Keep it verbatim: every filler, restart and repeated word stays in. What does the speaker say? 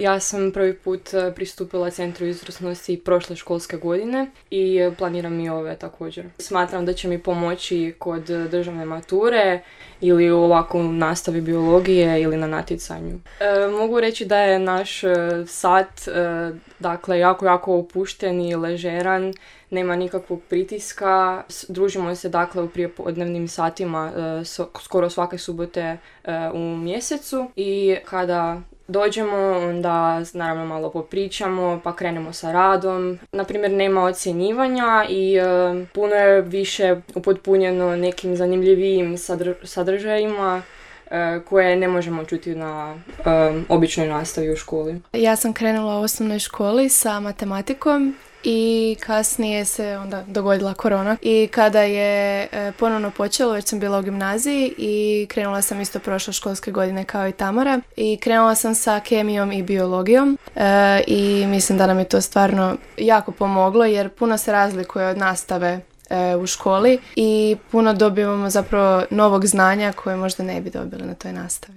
Ja sam prvi put pristupila Centru izvrsnosti prošle školske godine i planiram i ove također. Smatram da će mi pomoći kod državne mature ili ovako u nastavi biologije ili na natjecanju. E, mogu reći da je naš sat e, dakle, jako, jako opušten i ležeran, nema nikakvog pritiska. Družimo se dakle u prijepodnevnim satima e, so, skoro svake subote e, u mjesecu i kada dođemo, onda naravno malo popričamo, pa krenemo sa radom. Naprimjer, nema ocjenjivanja i e, puno je više upotpunjeno nekim zanimljivijim sadr- sadržajima e, koje ne možemo čuti na e, običnoj nastavi u školi. Ja sam krenula u osnovnoj školi sa matematikom i kasnije se onda dogodila korona i kada je e, ponovno počelo, već sam bila u gimnaziji i krenula sam isto prošle školske godine kao i Tamara i krenula sam sa kemijom i biologijom e, i mislim da nam je to stvarno jako pomoglo jer puno se razlikuje od nastave e, u školi i puno dobivamo zapravo novog znanja koje možda ne bi dobili na toj nastavi.